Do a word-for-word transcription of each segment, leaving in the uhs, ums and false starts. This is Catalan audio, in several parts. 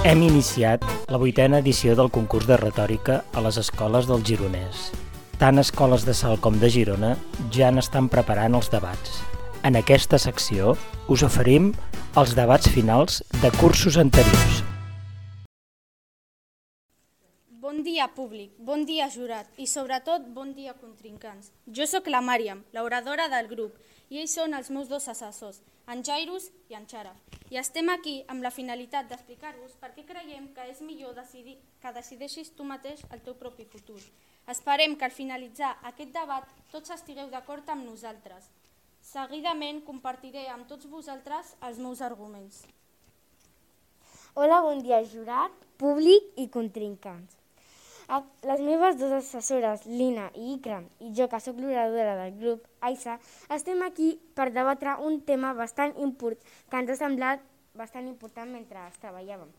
Hem iniciat la vuitena edició del concurs de retòrica a les escoles del Gironès. Tant escoles de Salt com de Girona ja n'estan preparant els debats. En aquesta secció us oferim els debats finals de cursos anteriors. Bon dia, públic, bon dia, jurat i, sobretot, bon dia, contrincants. Jo sóc la Màriam, l'oradora del grup, i ells són els meus dos assessors, en Jairus i en Xara. I estem aquí amb la finalitat d'explicar-vos per què creiem que és millor decidir, que decideixis tu mateix el teu propi futur. Esperem que al finalitzar aquest debat tots estigueu d'acord amb nosaltres. Seguidament compartiré amb tots vosaltres els meus arguments. Hola, bon dia, jurat, públic i contrincants. Les meves dues assessores, Lina i Ikram, i jo, que sóc l'oradora del grup, Aisa, estem aquí per debatre un tema bastant important, que ens ha semblat bastant important mentre treballàvem,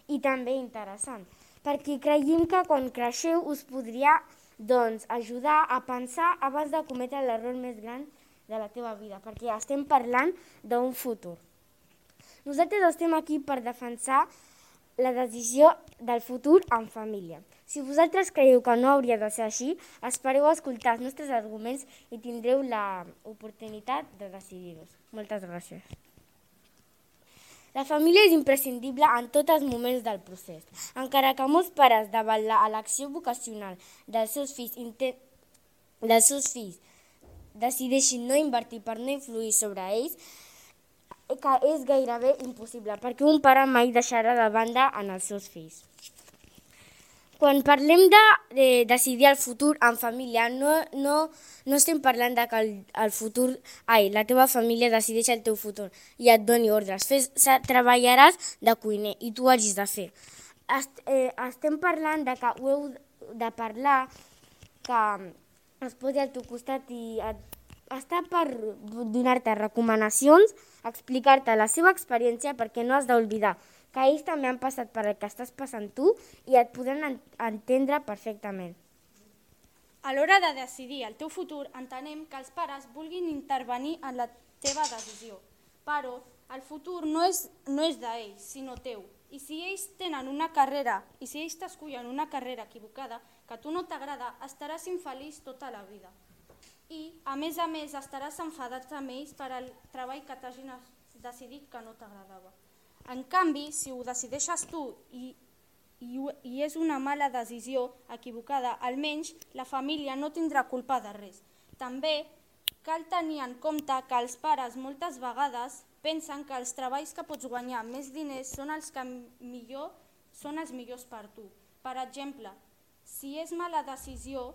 i també interessant, perquè creiem que quan creixeu us podria doncs, ajudar a pensar abans de cometre l'error més gran de la teva vida, perquè estem parlant d'un futur. Nosaltres estem aquí per defensar la decisió del futur en família. Si vosaltres creieu que no hauria de ser així, espereu escoltar els nostres arguments i tindreu l'oportunitat de decidir-los. Moltes gràcies. La família és imprescindible en tots els moments del procés. Encara que molts pares, davant l'elecció vocacional dels seus fills, dels seus fills decideixin no invertir per no influir sobre ells, que és gairebé impossible, perquè un pare mai deixarà de banda en els seus fills. Quan parlem de, de decidir el futur en família, no, no, no estem parlant de que el, el futur, ai, la teva família decideix el teu futur i et doni ordres. Fes, treballaràs de cuiner i tu ho hagis de fer. Est, eh, estem parlant de que ho heu de parlar, que es posi al teu costat i et, està per donar-te recomanacions, explicar-te la seva experiència, perquè no has d'oblidar que ells també han passat per el que estàs passant tu i et podran entendre perfectament. A l'hora de decidir el teu futur, entenem que els pares vulguin intervenir en la teva decisió, però el futur no és, no és d'ells, sinó teu. I si ells tenen una carrera, i si ells t'escullen una carrera equivocada que a tu no t'agrada, estaràs infeliç tota la vida. I, a més a més, estaràs enfadat amb ells per al treball que t'hagin decidit que no t'agradava. En canvi, si ho decideixes tu i, i, i és una mala decisió equivocada, almenys la família no tindrà culpa de res. També cal tenir en compte que els pares moltes vegades pensen que els treballs que pots guanyar més diners són els que millor són els millors per tu. Per exemple, si és mala decisió,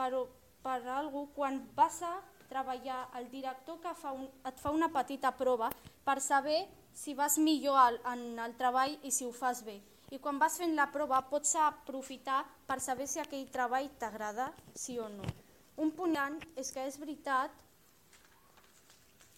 però per algú, quan vas a treballar, el director que fa un, et fa una petita prova per saber si vas millor en el treball i si ho fas bé. I quan vas fent la prova pots aprofitar per saber si aquell treball t'agrada, sí o no. Un punt és que és veritat,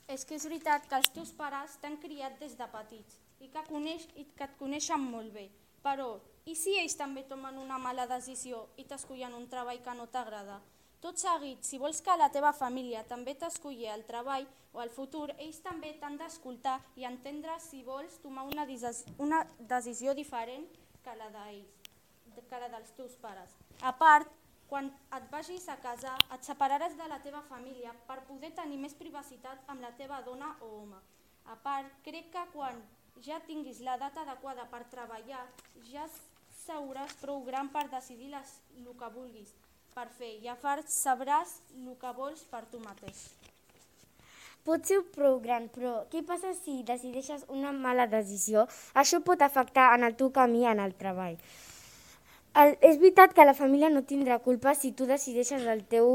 és que és veritat que els teus pares t'han criat des de petits i que, coneix, i que et coneixen molt bé. Però, i si ells també tomen una mala decisió i t'escullen un treball que no t'agrada? Tot seguit, si vols que la teva família també t'esculli el treball o el futur, ells també t'han d'escoltar i entendre si vols tomar una, una decisió diferent que la d'ells, que la dels teus pares. A part, quan et vagis a casar, et separaràs de la teva família per poder tenir més privacitat amb la teva dona o home. A part, crec que quan ja tinguis l'edat adequada per treballar, ja seràs prou gran per decidir les, el que vulguis per fer i a part sabràs el que vols per tu mateix. Pot ser prou gran, però què passa si decideixes una mala decisió? Això pot afectar en el teu camí en el treball. El, és veritat que la família no tindrà culpa si tu decideixes el teu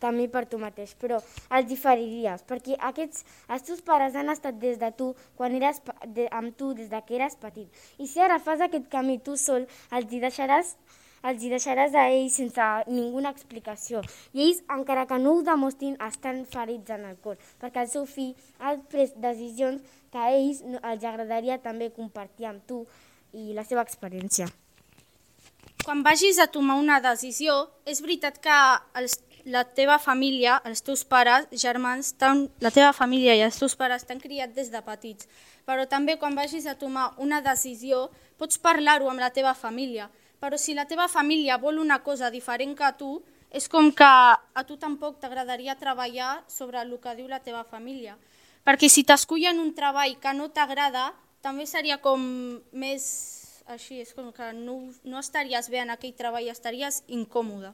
camí per tu mateix, però els diferiries, perquè aquests, els teus pares han estat des de tu, quan eres de, amb tu des de que eres petit. I si ara fas aquest camí tu sol, els hi deixaràs els hi deixaràs a ells sense ninguna explicació. I ells, encara que no ho demostrin, estan ferits en el cor, perquè el seu fill ha pres decisions que a ells els agradaria també compartir amb tu i la seva experiència. Quan vagis a tomar una decisió, és veritat que els, la teva família, els teus pares, germans, la teva família i els teus pares t'han criat des de petits. Però també quan vagis a tomar una decisió pots parlar-ho amb la teva família. Però si la teva família vol una cosa diferent que tu, és com que a tu tampoc t'agradaria treballar sobre el que diu la teva família. Perquè si t'escullen un treball que no t'agrada, també seria com més així, és com que no, no estaries bé en aquell treball, estaries incòmode.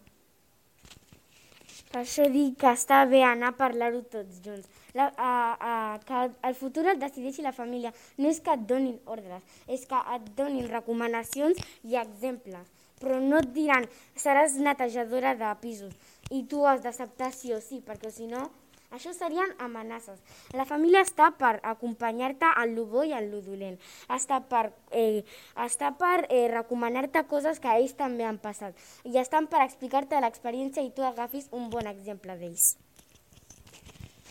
Per això dic que està bé anar a parlar-ho tots junts. La, a, a, que el futur el decideixi la família. No és que et donin ordres, és que et donin recomanacions i exemples. Però no et diran, seràs netejadora de pisos i tu has d'acceptar sí o sí, perquè si no, això serien amenaces. La família està per acompanyar-te en lo bo i en lo dolent. Està per, eh, està per eh, recomanar-te coses que ells també han passat. I estan per explicar-te l'experiència i tu agafis un bon exemple d'ells.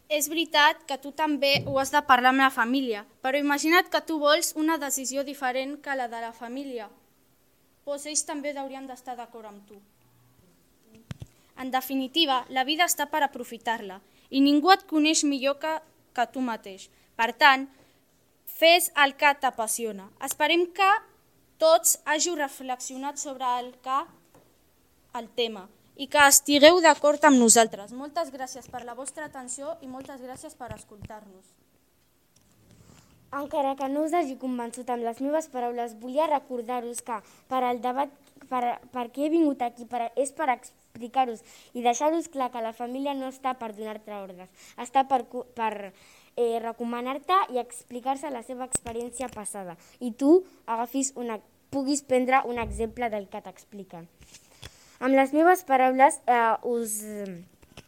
És veritat que tu també ho has de parlar amb la família, però imagina't que tu vols una decisió diferent que la de la família. Doncs ells també haurien d'estar d'acord amb tu. En definitiva, la vida està per aprofitar-la i ningú et coneix millor que, que tu mateix. Per tant, fes el que t'apassiona. Esperem que tots hàgiu reflexionat sobre el, que, el tema i que estigueu d'acord amb nosaltres. Moltes gràcies per la vostra atenció i moltes gràcies per escoltar-nos. Encara que no us hagi convençut amb les meves paraules, volia recordar-vos que per al debat, per, per què he vingut aquí, per, és per explicar-vos i deixar-vos clar que la família no està per donar-te ordres, està per, per eh, recomanar-te i explicar-se la seva experiència passada i tu agafis una, puguis prendre un exemple del que t'expliquen. Amb les meves paraules eh, us...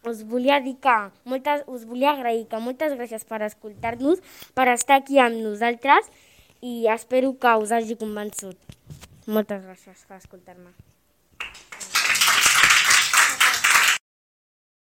Us volia dir que moltes, us volia agrair que moltes gràcies per escoltar-nos, per estar aquí amb nosaltres i espero que us hagi convençut. Moltes gràcies per escoltar-me.